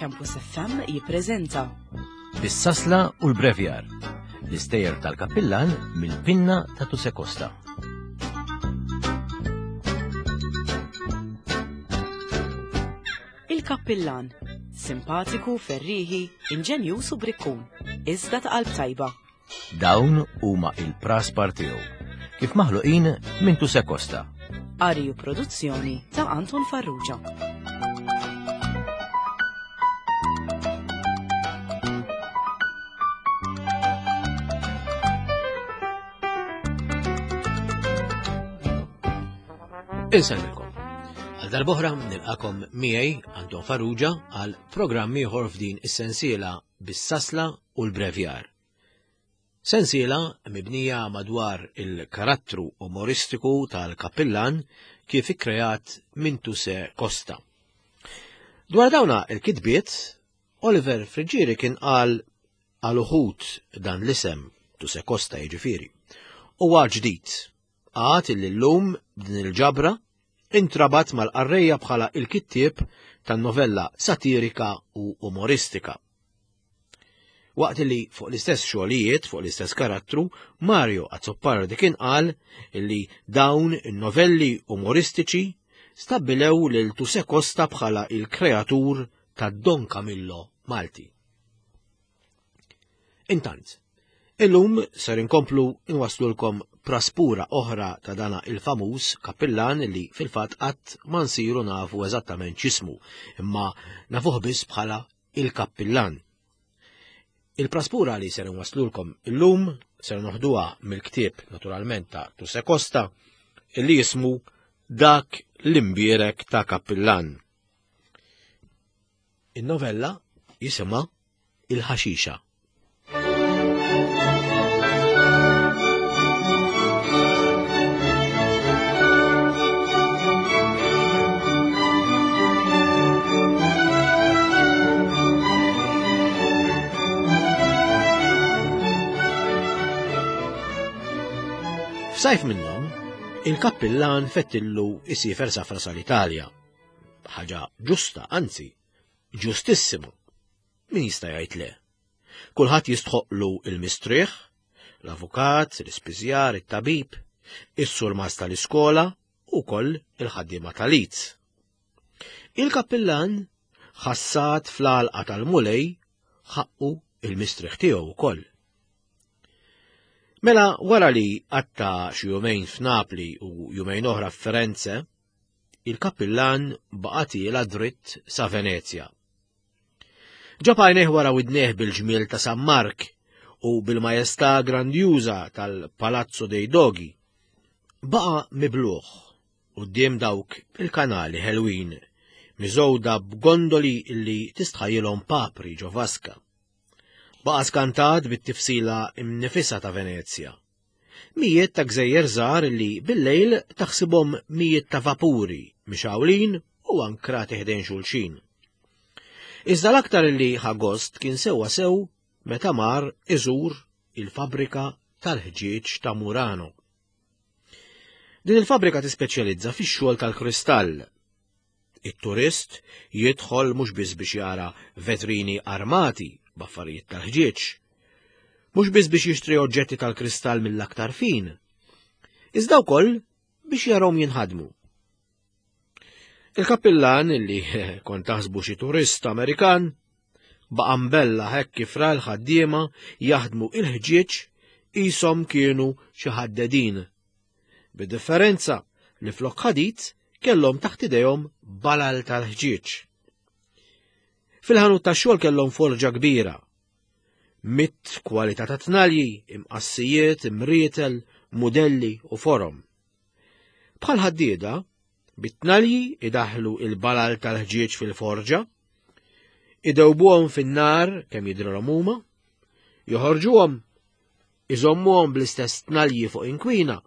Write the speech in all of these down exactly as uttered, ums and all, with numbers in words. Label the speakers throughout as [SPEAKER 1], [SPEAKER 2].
[SPEAKER 1] Campus F M jippreżenta
[SPEAKER 2] Bis-sasla u l-brevjar. L-istejjer tal-kappillan mill-pinna ta' Tuse Costa.
[SPEAKER 1] Il-Kappillan. Simpatiku, ferriħi, inġenjuż u brikkun. Iżda ta' qalb tajba.
[SPEAKER 2] Dawn huma il-praspar tiegħu. Kif maħluqin minn Tuse Costa.
[SPEAKER 1] Qari u produzzjoni ta' Anton Farrugia.
[SPEAKER 2] Insellmilkom. Għal darb'oħra nilqakom miegħi, Anton Farrugia, għal programm ieħor f'din is-sensiela bis-sasla u l-brevjar. Sensiela mibnija madwar il-karattru umoristiku tal-kappillan kif ikkreat minn Tuse Costa. Dwar dawna il-kitbiet, Oliver Friggieri kien qal għal uħud dan l-isem Tuse Costa jiġifieri. Huwa ġdid. Għad illi llum b'din il-ġabra intrabat mal-qarrejja bħala il-kittieb tan-novella satirika u umoristika. Waqt li fuq l-istess xogħlijiet, fuq l-istess karattru, Mario Azzopardi kien qal illi dawn in-novelli umoristiċi stabbilew lil Tuse Costa bħala il-kreatur ta' Don Camillo Malti. Intant, illum ser inkomplu inwaslulkom praspura oħra ta' dana il-famuż kappillan li fil-fatt qatt ma nsiru nafu eżattament x'ismu, imma nafuh biss bħala il-kappillan. Il-praspura li ser inwaslulkom illum ser noħduha mill-ktieb naturalment ta' Tuse Costa li jismu Dak l-imbierek ta' Kappillan. In-novella jisimha Il-Ħaxixa. F'sajf minnhom, il-kappillan fettillu isiefer safra sal-Italja. Ħaġa ġusta, anzi, ġustissima. Min jista' jgħid le? Kulħadd jistħoqlu il-mistrieħ, l-avukat, l-ispiżjar, it-tabib, is-surmas tal-iskola u koll il-ħaddiema tal-Leeds. Il-kappillan ħassat fl-għalqa tal-Mulej ħaqqu il-mistrieħ tiegħu wkoll. Mela wara li għatta xi jumejn f'Napli u jumejn oħra f'Firenze, il-kappillan baqa' tiela dritt sa Venezja. Ġab għajnejh wara widnejh bil-ġmiel ta' San Mark u bil-majestà grandjuża tal-Palazzo dei Dogi. Baqa' mibluħ quddiem dawk il-kanali ħelwin, miżgħuda b'gondoli li tistħajjilhom papri ġo vaska. Baqa' skantat bit-tifsila imnifisa ta' Venezja. Mijiet ta' gżejjer żgħar li bil-lejl taħsibhom mijiet ta' vapuri mixawlin u ankrati ħdejn xulxin. Iżda l-aktar li ħa gost kien sewwa sew meta mar iżur il-fabrika tal-ħġieġ ta' Murano. Din il-fabrika tispeċjalizza fix-xogħol tal-kristall. It-turist jidħol mhux biss biex jara vetrini armati b'affarijiet tal-ħġieġ, mhux biss biex jixtri oġġetti tal-kristall mill-aktar fin, iżda wkoll biex jarahom jinħadmu. Il-kappillan li kont taħsbu xi turist Amerikan baqa' mbella hekk kif ra l-ħaddiema jaħdmu il-ħġieġ qishom kienu xi ħaddedin. Bid-differenza li flok ħadid kellhom taħt idejhom balal tal-ħġieġ. Fil-ħanut tax-xogħol kellhom forġa kbira. Mitt kwalità ta' tnalji, imqassijiet, imrietel, mudelli u forom. Bħal ħaddieda, bit-tnalji idaħlu il-balal tal-ħġieġ fil-forġa, idewbuhom fin-nar kemm jidrilhom huma, joħorġuhom, iżommuhom bl-istess tnalji fuq inkwina,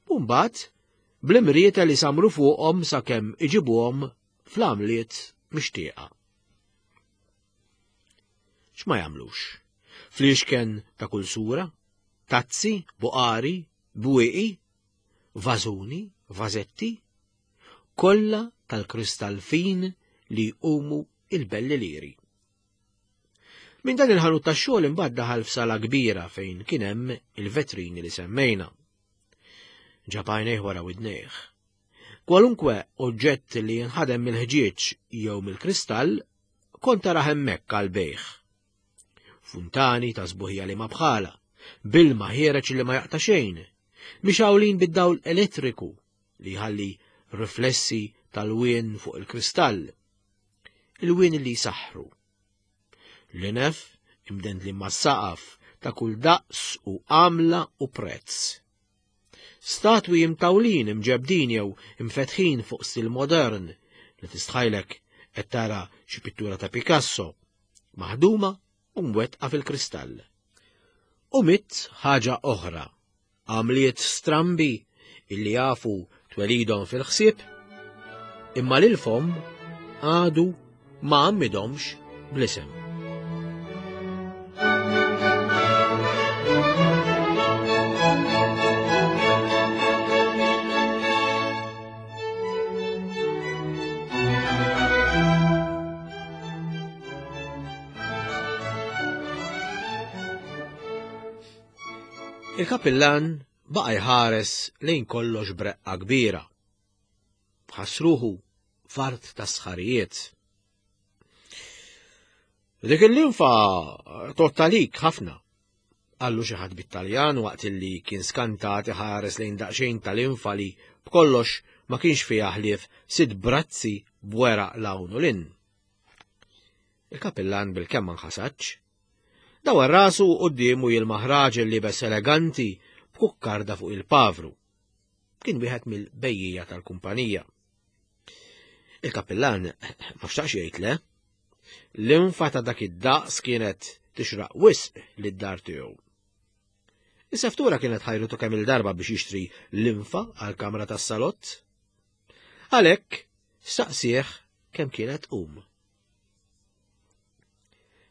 [SPEAKER 2] u mbagħad bl-imrietel isamru fuqhom sakemm iġibuhom fl-għamliet mixtieqa. X'ma jagħmlux? Fliexken ta' kull sura, tazzi, buqari, bwieqi, vażuni, vażetti, kollha tal-kristall fin li jqumu il-belli liri. Minn dan il-ħanut tax-xogħol imbagħad daħal f'sala kbira fejn kien hemm il-vetrini li semmejna. Ġab għajnejh wara widnejh. Kwalunkwe oġġett li jinħadem mill-ħġieġ jew mill-kristall kont tara hemmhekk għall-bejgħ. Funtani ta' sbuħija li ma bħala, bilma ħiereġ li ma jaqta' xejn, mixgħulin bid-dawl elettriku li jħalli riflessi tal-wien fuq il-kristall, il-wien li jsaħħru. L-inef imdendli mas-saqaf ta' kull daqs u għamla u prezz. Statwi imtawlin imġebdin jew imfetħin fuq stil modern li tistħajlek qed tara xi pittura ta' Picasso, maħduma u mwettqa fil-kristall. U mitt ħaġa oħra, għamliet strambi illi jafu twelidhom fil-ħsieb, imma lil fomm għadu ma għammidomx bl-isem. Il-kapillan baqa' jħares lejn kollox breqqa kbira. Ħassruħu fart ta' sħarijiet. Dik il-linfa tottalik ħafna, qallu xi ħadd bit-Taljan waqt illi kien skantat iħares lejn daqsxejn tal-infa li b'kollox ma kienx fiha ħlief sitt brazzi b'weraq l-hawn u lin. Il-kapillan bil-kemm ma nħasadx. Dawar rasu quddiemu jilmaħ raġel liebes eleganti b'kukkarda fuq il-pavru. Kien wieħed mill-bejjija tal-kumpanija. Il-kapillan ma xtaqx jgħid le. L-infa ta' dak id-daqs kienet tixraq wisq lid-dar tiegħu. Is-seftura kienet ħajrutu kemm il-darba biex jixtri l-infa għall-kamra tas-salott. Għalhekk staqsih kemm kienet tqum.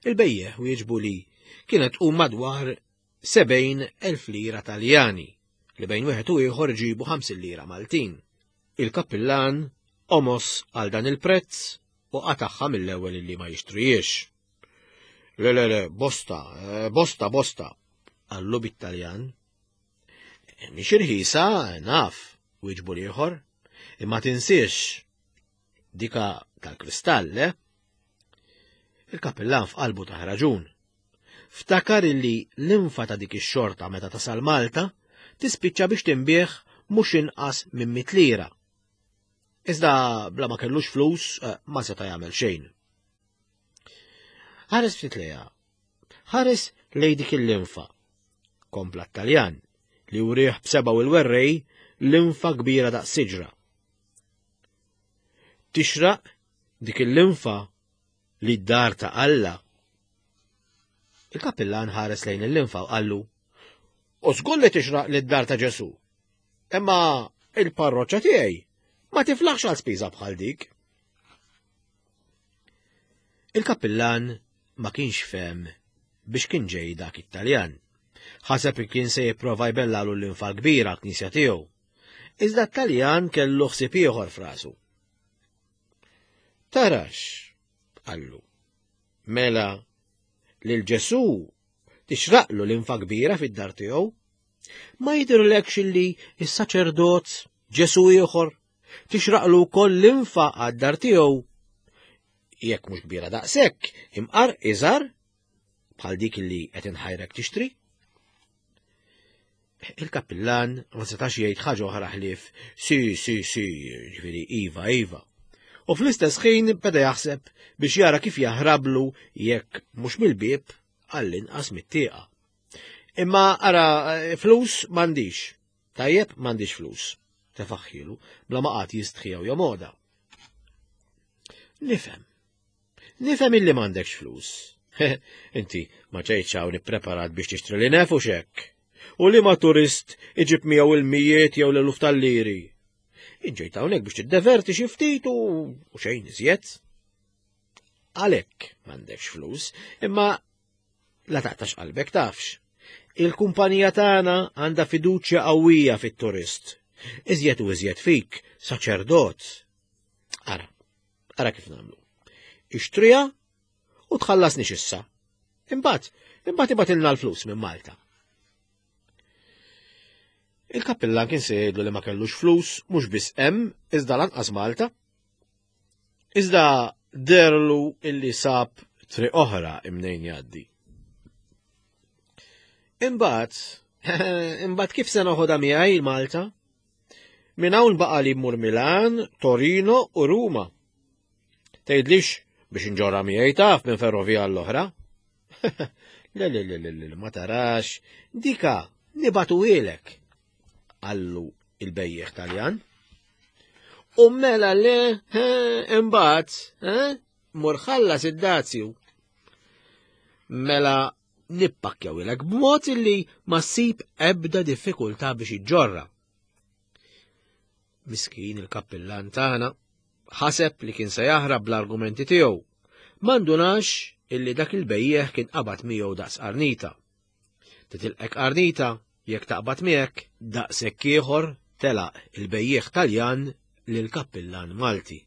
[SPEAKER 2] Il-bejjeħ wieġbu li kienet tqum madwar sebgħin elf lira Taljani li bejn wieħed u ieħor ġibu ħamsin lira Maltin. Il-kappillan omos għal dan il-prezz u qataħħa mill-ewwel li ma jixtrijiex. Le, le, le, bosta, bosta, bosta, qallu bit-Taljan. Mhix irħisa, naf, wieġbu l-ieħor, imma tinsiex dika tal-kristall, eh? Il-kappillan f'qalbu ta' raġun. Ftakar illi l-infa ta' dik ix-xorta meta tasal Malta tispiċċa biex tinbih mhux inqas minn mitt lira. Iżda bla ma kellux flus ma seta' jagħmel xejn. Ħares ftit lejha. Ħares lej dik il-linfa. Kompla t-Taljan li wrieħ b'sebgħu il-werrej linfa kbira daqs siġra. Tixraq dik il-linfa li d-dar ta' Alla. Il-kappillan ħares lejn il-linfa u qallu, u żgur li tixraq li d-dar ta' Ġesu. Imma il-parroċċa tiegħi ma tiflaħx għal spiża bħal dik. Il-kappillan ma kienx fehem biex kien ġej dak it-Taljan. Ħaseb kien se jipprova jbellalu l-linfa kbira għall-knisja tiegħu. Iżda t-Taljan kellu ħsieb ieħor f'rasu. Tarax, qallu, mela lil Ġesu tixraqlu l-infa kbira fid-dar tiegħu? Ma jidhirlekx illi s-saċerdot Ġesu ieħor tixraqlu wkoll l-infa għad-dar tiegħu? Jekk mhux kbira daqshekk, imqar iżgħar bħal dik li qed inħajrek tixtri? Il-kappillan ma setax jgħid ħaġa oħra ħlief si, si, si, ġifieri iva, iva. U fl-istess ħin beda jaħseb biex jara kif jaħrablu jekk mhux mill-bieb għall-inqas mit-tieqa. Imma ara flus m'għandix. Tajjeb m'għandix flus. Tefaħħilu bla ma qatt jistħi jew jomoda. Nifhem. Nifhem illi m'għandekx flus. Inti ma ġejtx hawn ippreparat biex tixtri li nefu xekk. U li ma turist iġib miegħu il-mijiet jew l-eluf tal-liri. Inġejt hawnhekk biex tiddeverti xi ftit u xejn iżjed. Għalhekk m'għandekx flus, imma la taqtax qalbek tafx. Il-kumpanija tagħna għandha fiduċja qawwija fit-turist. Iżjed u iżjed fik, saċerdot. Ara, ara kif nagħmlu. Ixtriha u tħallasni issa. Imbagħad, imbagħad ibgħatilna l-flus minn Malta. Il-kappillan kien se jgħidlu li ma kellux flus mhux biss hemm iżda lanqas Malta. Iżda derlu illi sab triq oħra imnejn jgħaddi. Imbagħad, imbagħad kif se noħodha miegħi Malta? Minn hawn baqa' li mmur Milan, Torino u Ruma. Tgħidlix biex inġorra miegħi taf minn ferrovija l-oħra. Le, le, le, le, le, ma tarax, dika nibatuhielek, qallu il-bejjeħ Taljan. U mela le, imbagħad, mur ħallas id-dazju. Mela nippakkjawilek b'mod illi ma ssib ebda diffikultà biex iġġorra. Miskin il-kappillan tagħna ħaseb li kien se jaħrab bl-argumenti tiegħu. Ma ndunax illi dak il-bejjeħ kien qabad miegħu daqs qarnita. Titilqek qarnita jekk taqbad miegħek daqshekk ieħor telaq il-bejjeħ Taljan lil kappillan Malti.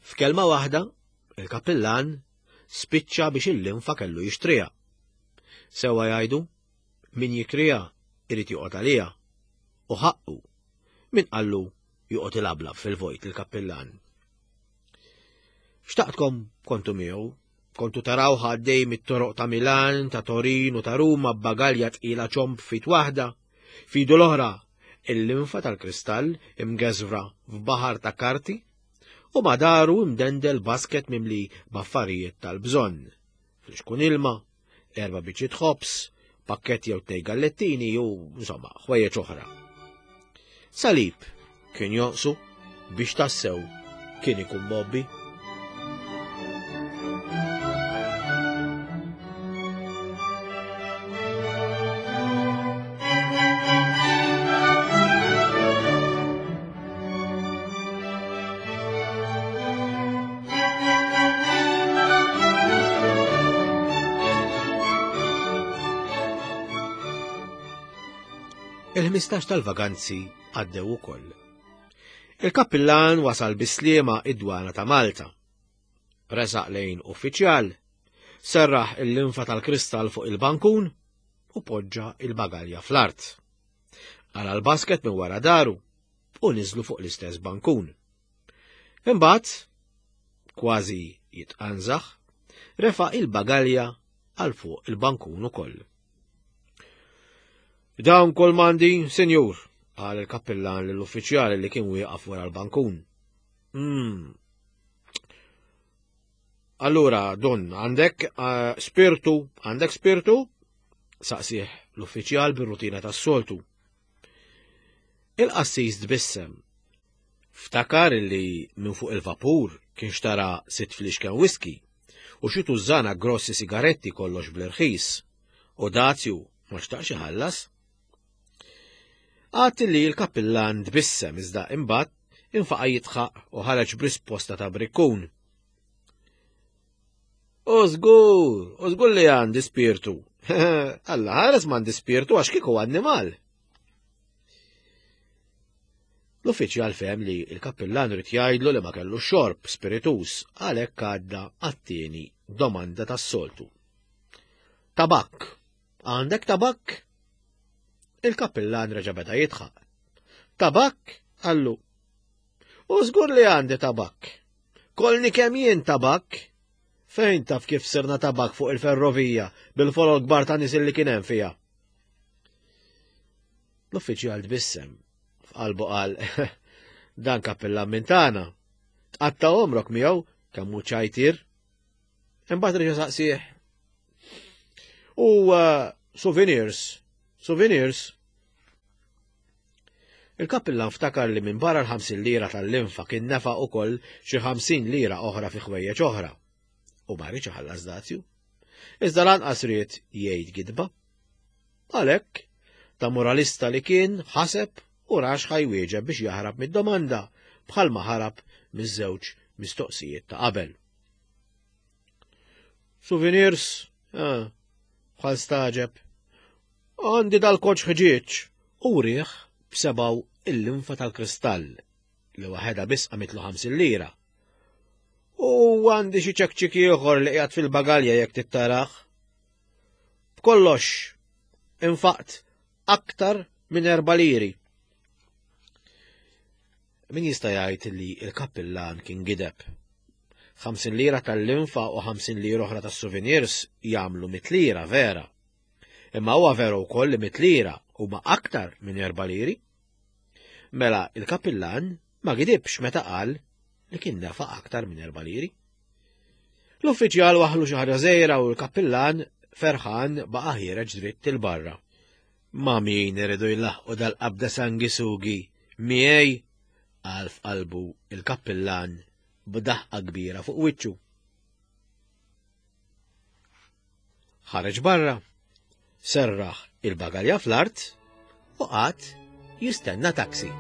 [SPEAKER 2] F'kelma waħda, il-kappillan spiċċa biex il-linfa kellu jixtriha. Sewwa jgħidu, min jikriha irid joqgħod għaliha. U ħaqqu min qallu joqgħod ilablab fil-vojt il-kappillan. Xtaqtkom kontu miegħu, kontu taraw għaddej mit-toroq ta' Milan, ta' Torino, ta' Ruma b'bagalja tqila ċomb fit waħda, fidu l-oħra il-linfa tal-kristall imgeżwra f'baħar ta' karti u madaru imdendel basket mimli b'affarijiet tal-bżonn. Flixkun ilma, erba' biċċiet ħobż, pakket jew tnej gallettini u insomma ħwejjeġ oħra. Salib kien jonqsu biex tassew kien ikun mobbi. Il-ħmistax tal-vaganzi għaddew ukoll. Il-kappillan wasal bis-sliema id-dwana ta' Malta. Resaq lejn uffiċjal, serraħ il-linfa tal-kristall fuq il-bankun u poġġa il-bagalja fl-art. Qala l-basket minn wara daru u niżlu fuq l-istess bankun. Imbagħad, kważi jitqanżaħ, refa' il-bagalja għal fuq il-bankun ukoll. Dawn kol mandi, senjur, qal il-kappillan lill-uffiċjali li kien wieqaf wara l-bankun. Mm. Allura, don, għandek uh, spirtu, għandek spirtu? Saqsih l-uffiċjal bir-rutina tas-soltu. Il-qassis tbissem. Ftakar li minn fuq il-vapur kien xtara sitt flixken whisky u xi tużżana grossi sigaretti kollox bl-irħis u dazju ma xtaqx iħallas. Għad li l-kappillan tbissem iżda imbagħad infaqa' jidħaq u ħareġ b'risposta ta' brikkun. U żgur, u żgur li għandi spirtu. Alla ħares m'għandi spirtu għax kieku annimal. L-uffiċjal fehem li l-kappillan rid jgħidlu li ma kellu xorb spiritus għalhekk għadda għat-tieni domanda tas-soltu. Tabakk. Għandek tabakk? Il-kappillan reġa' beda jidħaq. Tabakk? Qallu. U żgur li għandi tabakk. Kolni kemm jien tabakk. Fejn taf kif sirna tabakk fuq il-ferrovija bil-folol kbar ta' nies li kien hemm fiha? L-uffiċjal tbissem. F'qalbu qal, dan kappillan minn tagħna. Tqatta' għomrok miegħu kemm hu ċajtir. Imbagħad reġa' saqsih. U uh, souvenirs, souvenirs. Il-kappillan ftakar li minn barra l-ħamsin lira tal-linfa kien nefaq ukoll xi ħamsin lira oħra fi ħwejjeġ oħra. U ma rridx iħallas dazju. Iżda lanqas ried jgħid gidba. Għalhekk, ta' moralista li kien ħaseb u rax ħajwieġeb biex jaħrab mid-domanda bħalma ħarab miż-żewġ mistoqsijiet ta' qabel. Souvenirs, ah, bħal staġeb. Għandi dal-koċ ħġieġ u riħ b'sebaw il-linfa tal-kristall li waħedha biss qamitlu ħamsin lira. U għandi xi ċekċik ieħor li qiegħed fil-bagalja jekk tittaraħ. B'kollox, infaqt aktar minn erba' liri. Min jista' jgħid li l-kappillan kien gideb? Ħamsin lira tal-linfa u ħamsin lira oħra tas-souvenirs jagħmlu mitt lira vera. Imma huwa veru wkoll li mitt lira huma aktar minn erba' liri. Mela il-kappillan ma gidibx meta qal li kien nefaq aktar minn erba' liri. L-uffiċjal waħlu xi ħaġa żgħira u l-kappillan ferħan baqa' ħiereġ dritt il barra. Ma min iridu jlaħqu dal-qabda sangisugi miegħi, qal f'qalbu il-kappillan b'daħqa kbira fuq wiċċu. Ħareġ barra, serraħ il-bagalja fl-art u qagħad jistenna taksi.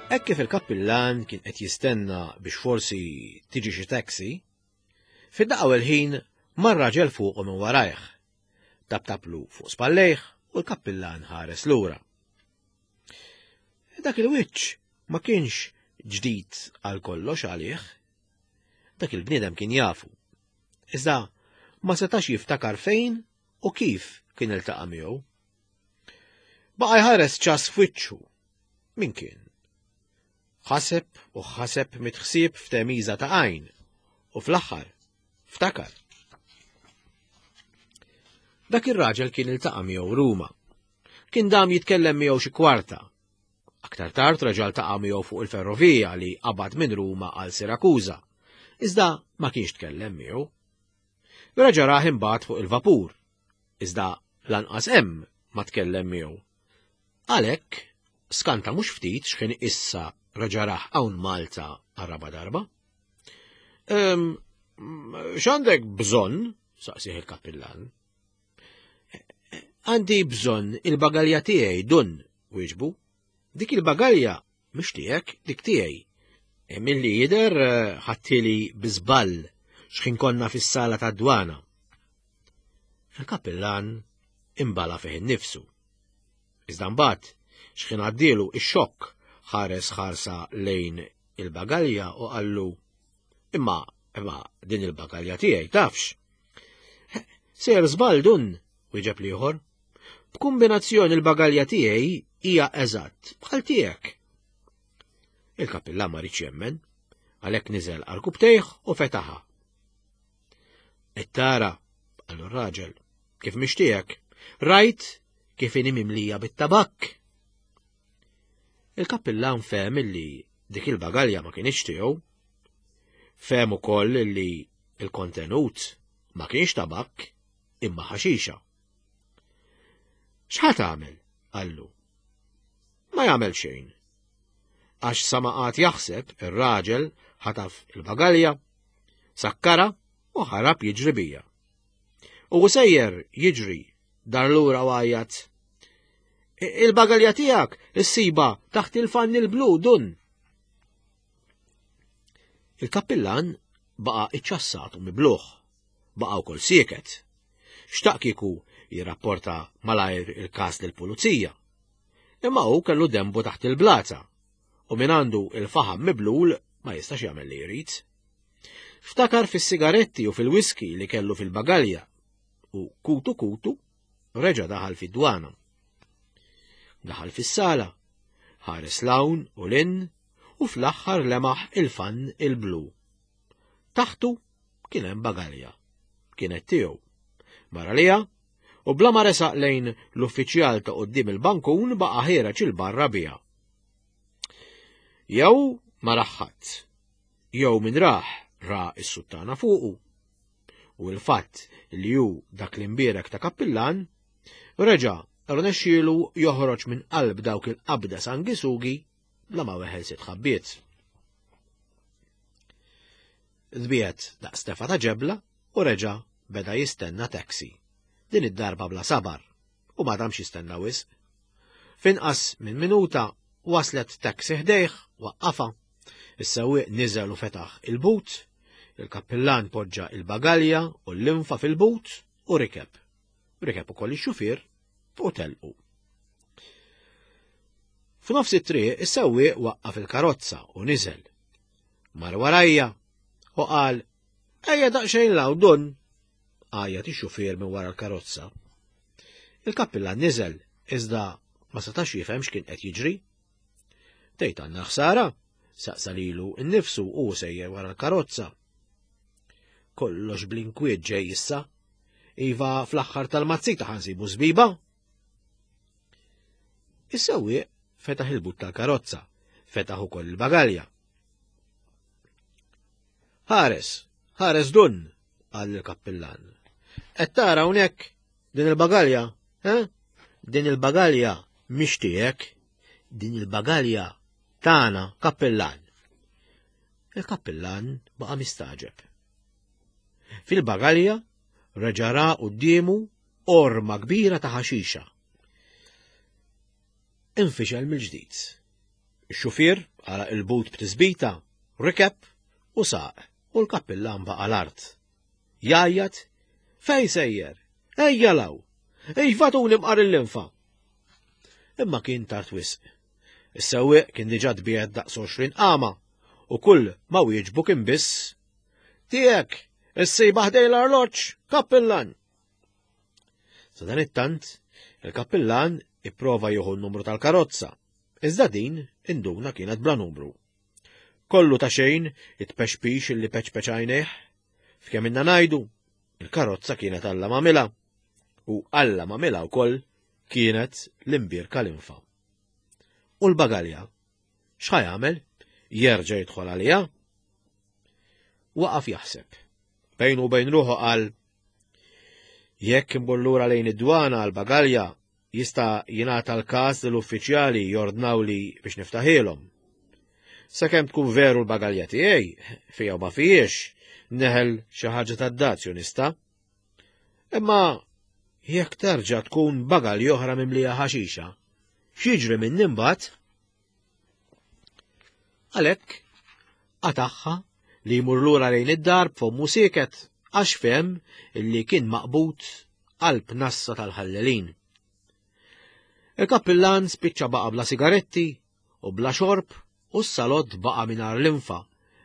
[SPEAKER 2] Hekk kif il-kappillan kien qed jistenna biex forsi tiġi xi taxi, fid-daqqa u l-ħin mar raġel fuqu minn warajh. Taptaplu fuq spallejh u l-kappillan ħares lura. Dak il-wiċċ ma kienx ġdid għal kollox għalih. Dak il-bniedem kien jafu. Iżda ma setax jiftakar fejn u kif kien iltaqa' miegħu. Baqa' jħares ċas f'wiċċu. Min kien? Ħaseb u ħaseb mitħsieb f'temiża ta' għajn u fl-aħħar ftakar. Dak ir-raġel kien iltaqa' miegħu Ruma. Kien dam jitkellem miegħu xi kwarta. Aktar tard raġel taqa' miegħu fuq il-ferrovija li qabad minn Ruma għal Sirakuża, iżda ma kienx tkellem miegħu. Reġa' rah imbagħad fuq il-vapur, iżda lanqas hemm ma tkellem miegħu. Għalhekk skanta mhux ftit x'ħin issa reġa' rah hawn Malta għar-raba' darba. Ehm, x'għandek bżonn? Saqsih il-kappillan. Għandi bżonn il-bagalja tiegħi, dun, wieġbu. Dik il-bagalja mhux tiegħek, dik tiegħi. E milli jidher ħadtili bi żball x'ħin konna fis-sala tad-dwana. Il-kappillan imbala fih innifsu. Iżda mbagħad x'ħin għaddielu ix-xokk ħares ħarsa lejn il-bagalja u qallu: Imma, imma din il-bagalja tiegħi tafx. Ser żball dun, wieġeb l-ieħor. B'kombinazzjoni il-bagalja tiegħi hija eżatt bħal tiegħek. Il-kappillan ma riedx jemmen, għalhekk niżel għarkupptejh u fetaħha. Qed tara, qallu r-raġel, kif mhix tiegħek, rajt kif inhi mimlija bit-tabakk. Il-kappillan fehem illi dik il-bagalja ma kienx tiegħu. Fehem ukoll illi il-kontenut ma kienx tabakk imma ħaxixa. X'ħa tagħmel? Qallu. Ma jagħmel xejn. Għax sa ma qagħad jaħseb ir-raġel ħataf il-bagalja, sakkara u ħarab jiġri bija. U sejjer jiġri dar lura u għajjat: Il-bagalja tiegħek issiba taħt il-fann il-blu dun. Il-kappillan baqa' iċċassat u mibluħ, baqa' wkoll sieket. Xtaq kieku jirrapporta malajr il-każ lill-pulizija. Imma hu kellu dembu taħt il-blaza u min għandu il-faħam miblul ma jistax jagħmel li jrid. Ftakar fis-sigaretti u fil-whisky li kellu fil-bagalja u kutu kutu reġa' daħal fid-dwana. Daħal fis-sala, ħares l-hawn u l-in u fl-aħħar lemaħ il-fann il-blu. Taħtu kien hemm bagalja. Kienet tiegħu. Mara liha u bla ma resaq lejn l-uffiċjal ta' quddiem il-bankun baqa' ħiereġ il-barra biha. Jew ma raħħat, jew min raħ ra s-suttana fuqu. U l-fatt li hu dak l-imbierek ta' kappillan reġa' rnexxielu joħroġ minn qalb dawk il-qabda sangisugi bla ma weħel sitt ħabbiet. Dbiet daqs tefa ta' ġebla u reġa' beda jistenna taxi. Din id-darba bla sabar u ma damx jistenna wisq. Finqas minn minuta waslet taxi ħdejh waqqafa. Is-sewwieq niżel u fetaħ il-but, il-kappillan poġġa il-bagalja u l-linfa fil-but u rikeb. Rikeb ukoll ix-xufier u telqu. F'nofs it-triq is-sewwieq waqqaf il-karozza u niżel. Mar warajja u qal ejja daqsxejn law dun, għajjat ix-xufier minn wara l-karozza. Il-kappillan niżel iżda ma setax jifhem x'kien qed jiġri. Tgħid għandna ħsara, saqsa lilu nnifsu u sejjer wara l-karozza. Kollox bl-inkwiet ġej issa. Iva fl-aħħar tal-mazzita ħansibu żbiba. Is-sewwieq fetaħ il-but tal-karozza, fetaħ ukoll il-bagalja. Ħares, ħares dun, qal il-kappillan. Qed tara hawnhekk din il-bagalja, eh? Din il-bagalja mhix tiegħek, din il-bagalja tagħna kappillan. Il-kappillan baqa' mistaġeb. Fil-bagalja reġa' ra quddiemu orma kbira ta' ħaxixa. Infixel mill-ġdid. Ix-xufier għalaq il-but b'tisbita, rikeb u saq u l-kappillan baqa' l-art. Jgħajjat, fej sejjer, ejja law, iva tuni mqar il-linfa. Imma kien tard wisq. Is-sewwieq kien diġà tbiegħed daqs għoxrin qama u kull ma wieġbu kien biss tiegħek, issibha ħdej l-arloġġ, kappillan. Sadanittant, il-kappillan ipprova jieħu n-numru tal-karozza, iżda din induna kienet bla numru. Kollu ta' xejn it-pexpix illi peċpeċ għajnejh, f'kemm inna ngħidu, il-karozza kienet Alla m'għamilha, u Alla m'għamilha wkoll kienet l-imbierka l-infa. U l-bagalja, x'ħa jagħmel? Jerġa' jidħol għaliha? Waqaf jaħseb. Bejnu u bejn ruħu qal, jekk imbur lura lejn id-dwana għall-bagalja, jista' jingħata l-każ li l-uffiċjali jordnaw li biex niftaħilhom. Sakemm tkun veru l-bagalja tiegħi, fija u ma fijiex, neħel xi ħaġa tad-dazju nista'. Imma jekk terġa' tkun bagalja oħra mimlija ħaxixa, x'jiġri minn imbagħad? Għalhekk qatagħha li jmur lura lejn id-dar b'fommu sieket għax fehem illi kien maqbud qalb nassa tal-ħallelin. Il-kappillan spiċċa baqa' bla sigaretti u bla xorb u s-salott baqa' mingħajr l-infa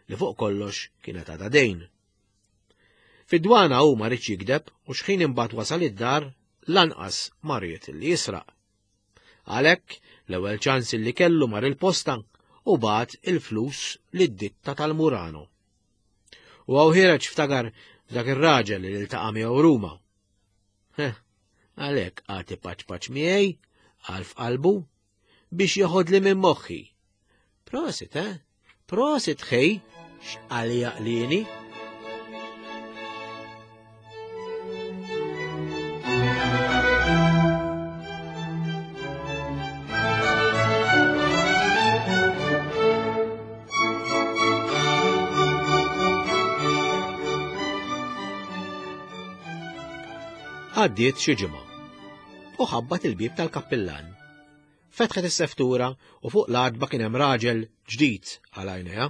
[SPEAKER 2] li fuq kollox kienet għadha dejn. Fid-dwana hu ma riedx jigdeb u xħin imbagħad wasal id-dar lanqas ma ried li jisraq. Għalhekk l-ewwel ċans li kellu mar il-posta u bagħat il-flus lid-ditta tal-Murano. U hawn ħiereġ ftakar f'dak ir-raġel li ltaqa' miegħu Ruma. Heh, għalhekk qagħad ipaċpaċ miegħi għal f'qalbu biex jeħodli minn moħħi. Prosit, eh? Prosit ħej, x'qal jaqlini. Għaddiet xi ġimgħa u ħabbat il-bieb tal-kappillan. Fetħet is-seftura u fuq l-għatba kien hemm raġel ġdid għal għajnejha.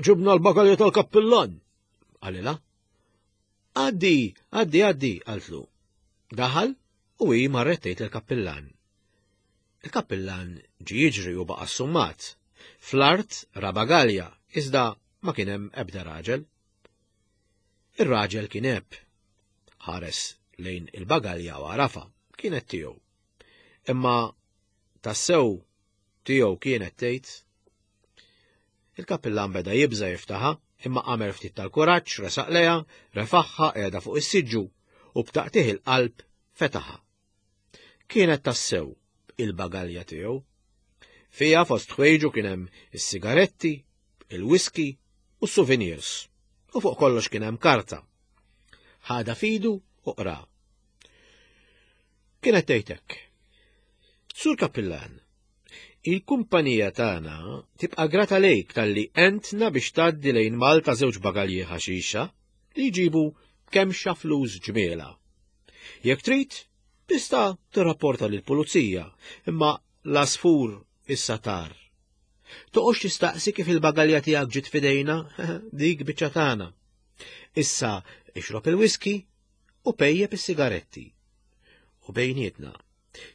[SPEAKER 2] Ġibna l-bagalja tal-kappillan, qalilha. Għaddi, għaddi, għaddi, qaltlu. Daħal u hi marret tgħid il-kappillan. Il-kappillan ġie jiġri u baqa' assummat. Fl-art ra bagalja, iżda ma kien hemm ebda raġel. Ir-raġel kien għeb. Ħares lejn il-bagalja u għarafa, kienet tiegħu. Imma tassew tiegħu kienet tgħid. Il-kappillan beda jibża jiftaħha, imma għamel ftit tal-kuraġġ, resaq lejha, refaħħa qiegħda fuq is-siġġu u b'taqtih il-qalb fetaħha. Kienet tassew il-bagalja tiegħu. Fija fost ħwejġu kien hemm is-sigaretti, il-whisky u s-souvenirs. U fuq kollox kien hemm karta. Ħada fidu u qra. Kienet tgħidlek. Sur Kappillan, il-kumpanija tagħna tibqa' grata lejk talli entna biex tgħaddi lejn Malta żewġ bagalji ħaxixa li jġibu kemm xa flus ġmiela. Jekk trid, tista' tirrapporta lill-pulizija, imma l-asfur issa tar. Toqgħodx tistaqsi kif il-bagalja tiegħek ġiet f'idejna, dik biċċa tagħna. Issa ixrob il-whisky u pejjep is-sigaretti. U bejnietna,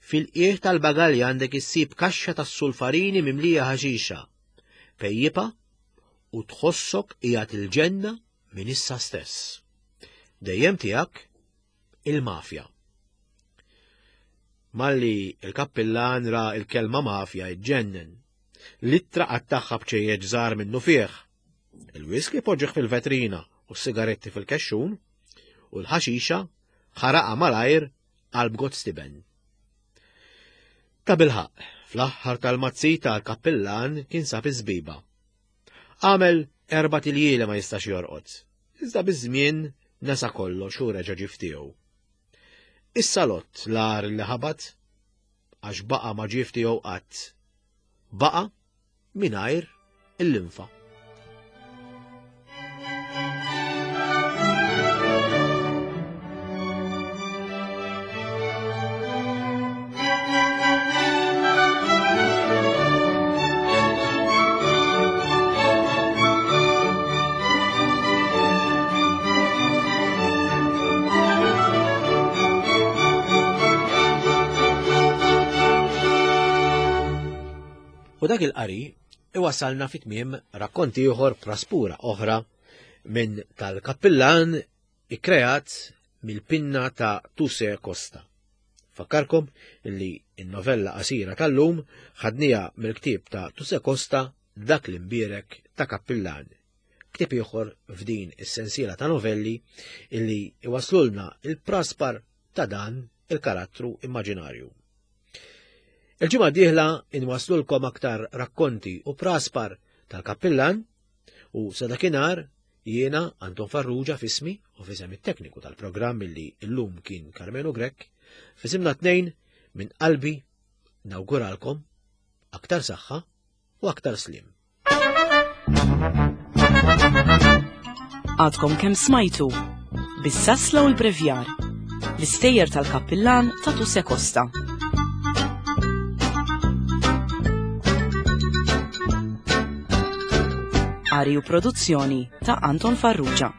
[SPEAKER 2] fil-qiegħ tal-bagalja għandek issib kaxxa tas-sulfarini mimlija ħaxixa. Pejjipa u tħossok qiegħed il-ġenna minn issa stess. Dejjem tiegħek il-mafja. Malli il-kappillan ra il-kelma mafja iġġennen. L-ittra qattagħha b'ċejjeġ żgħar minnu fih. Il-whisky poġġih fil-vetrina u s-sigaretti fil-kexxun u l-ħaxixa ħaraqa malajr qalb Gottstiben. Ta' bilħaq, fl-aħħar tal-mazzita l-kappillan kien sab iż-żbiba. Għamel erbat iljieli ma jistax jorqod, iżda biż-żmien nesa kollox u reġa' ġie f'tiegħu. Is-salott l-agħar li ħabat għax baqa' ma ġie f'tiegħu qatt. Baqa' mingħajr il-linfa. U dak il-qari iwasalna fi tmiem rakkonti ieħor praspura oħra minn tal-kappillan ikkreat mill-pinna ta' Tuse Costa. Fakkarkom li n-novella qasira tal-lum ħadnija mill-ktieb ta' Tuse Costa Dak l-imbierek ta' Kappillan. Ktieb ieħor f'din is-sensiela ta' novelli illi iwaslulna il-praspar ta' dan il-karattru immaġinarju. Il-ġimgħa d-dieħla inwaslulkom aktar rakkonti u praspar tal-kappillan u sa dakinhar jiena Anton Farrugia f'ismi u f'isem it-tekniku tal-programm illi llum kien Carmelo Grech, f'isimna tnejn minn qalbi nawguralkom aktar saħħa u aktar slim.
[SPEAKER 1] Għadkom kemm smajtu bis-sasla u l-brevjar, l-istejjer tal-kappillan ta' Tuse Costa. Qari u produzzjoni ta' Anton Farrugia.